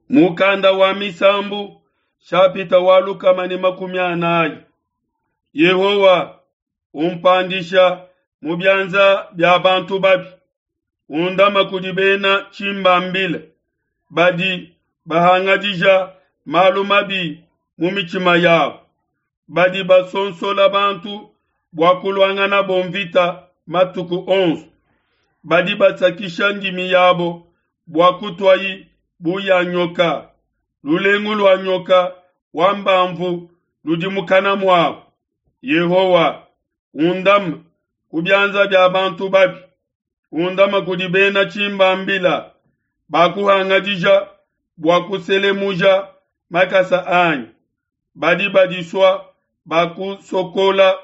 Mukanda wa Misambu, shapita wa 140. Yehowa, umpandisha mu bianza bia bantu babi, undama kudi bena tshimbambila badi bahangadija malu mabi mu mitshima yabo, badi basonsola bantu bua kuluanganabo mvita matuku onso, badi basakisha ndimi yabo bua kutuayi bu ya nyoka, lulengu lua nyoka wa mbamvu ludi mukana muabo. Yehowa, undama ku bianza bia bantu babi, undama kudi bena tshimbambila bakuhangadija bua kuselemuja makasa anyi, badi badisua bakusokola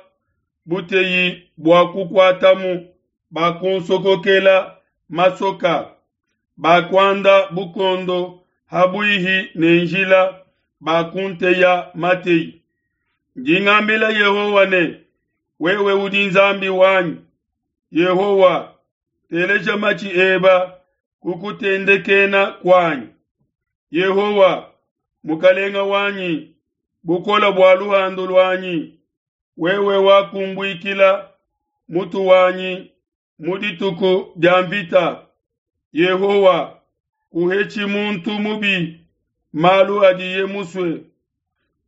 buteyi bua kukuatamu, bakunsokokela masoka, bakuanda bukondo ha buihi ne njila, bakunteya mateyi. Ndi ngambila Yehowa ne, wewe udi Nzambi wanyi. Yehowa, teleja matshi eba ku kutendekena kuanyi. Yehowa, Mukalenga wanyi, bukole bua luhandu luanyi, wewe wakumbuikila mutu wanyi mu dituku dia mvita. Yehowa, kuhetshi muntu mubi malu adiye musue,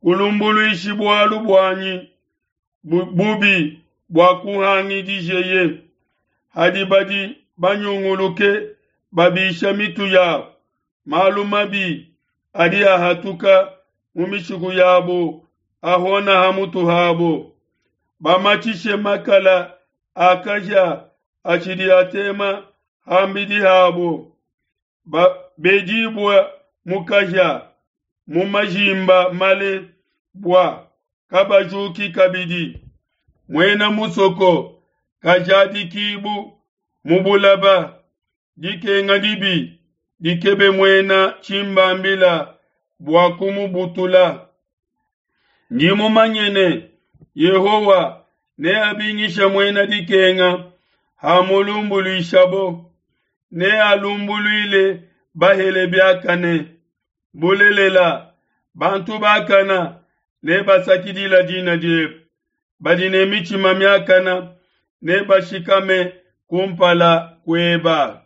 kulumbuluishi bualu buanyi bubi bua kuhangidijeye. Hadi badi banyunguluke babisha mitu yabo, malu mabi adi ahatuka mu mishiku yabo ahona ha mutu habo. Bamatshishe makala a kahia atshidi atema ham'bidi habo, bedibue mu kahia mu majimba male bua kabajuki kabidi. Muena musoko kajadikibu mu bulaba, dikenga dibi dikebe muena tshimbambila bua kumubutula. Ndi mumanye ne, Yehowa neabingishe muena dikenga hamulumbuluishabo, nealumbuluile bahele biakane. Bulelela, bantu bakana nebasakidila dina diebe, badi ne mitshima miakana nebashikame kumpala kueba.